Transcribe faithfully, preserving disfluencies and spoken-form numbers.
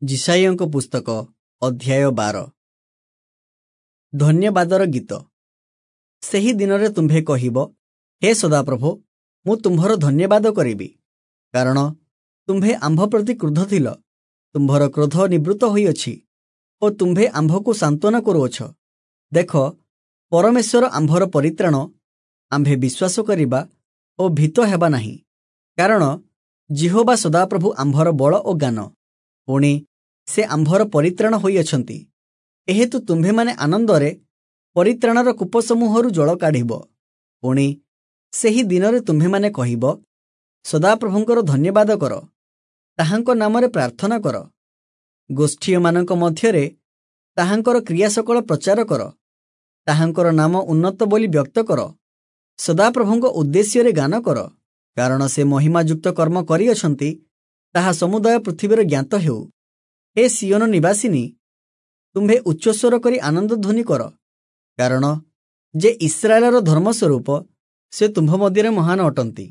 ଯିଶାଇୟଙ୍କ ପୁସ୍ତକ ଅଧ୍ୟାୟ ବାର। ଧନ୍ୟବାଦର ଗୀତ। ସେହି ଦିନରେ ତୁମ୍ଭେ କହିବ, ହେ ସଦାପ୍ରଭୋ, ମୁଁ ତୁମ୍ଭର ଧନ୍ୟବାଦ କରିବି, କାରଣ ତୁମ୍ଭେ ଆମ୍ଭ ପ୍ରତି କ୍ରୁଦ୍ଧ ଥିଲ, ତୁମ୍ଭର କ୍ରୋଧ ନିବୃତ୍ତ ହୋଇଅଛି ଓ ତୁମ୍ଭେ ଆମ୍ଭକୁ ସାନ୍ତ୍ୱନା କରୁଅଛ। ଦେଖ, ପରମେଶ୍ୱର ଆମ୍ଭର ପରିତ୍ରାଣ, ଆମ୍ଭେ ବିଶ୍ୱାସ କରିବା ଓ ଭୀତ ହେବା ନାହିଁ, କାରଣ ଯିହୋବା ସଦାପ୍ରଭୁ ଆମ୍ଭର ବଳ ଓ ଗାନ, ପୁଣି ସେ ଆମ୍ଭର ପରିତ୍ରାଣ ହୋଇଅଛନ୍ତି। ଏହେତୁ ତୁମ୍ଭେମାନେ ଆନନ୍ଦରେ ପରିତ୍ରାଣର କୂପସମୂହରୁ ଜଳ କାଢ଼ିବ। ପୁଣି ସେହି ଦିନରେ ତୁମ୍ଭେମାନେ କହିବ, ସଦାପ୍ରଭୁଙ୍କର ଧନ୍ୟବାଦ କର, ତାହାଙ୍କ ନାମରେ ପ୍ରାର୍ଥନା କର, ଗୋଷ୍ଠୀୟମାନଙ୍କ ମଧ୍ୟରେ ତାହାଙ୍କର କ୍ରିୟା ସକଳ ପ୍ରଚାର କର, ତାହାଙ୍କର ନାମ ଉନ୍ନତ ବୋଲି ବ୍ୟକ୍ତ କର, ସଦାପ୍ରଭୁଙ୍କ ଉଦ୍ଦେଶ୍ୟରେ ଗାନ କର, କାରଣ ସେ ମହିମାଯୁକ୍ତ କର୍ମ କରିଅଛନ୍ତି, ତାହା ସମୁଦାୟ ପୃଥିବୀର ଜ୍ଞାତ ହେଉ। ହେ ସିୟୋନ ନିବାସିନୀ, ତୁମ୍ଭେ ଉଚ୍ଚସ୍ୱର କରି ଆନନ୍ଦ ଧ୍ୱନି କର, କାରଣ ଯେ ଇସ୍ରାଏଲର ଧର୍ମସ୍ୱରୂପ, ସେ ତୁମ୍ଭ ମଧ୍ୟରେ ମହାନ ଅଟନ୍ତି।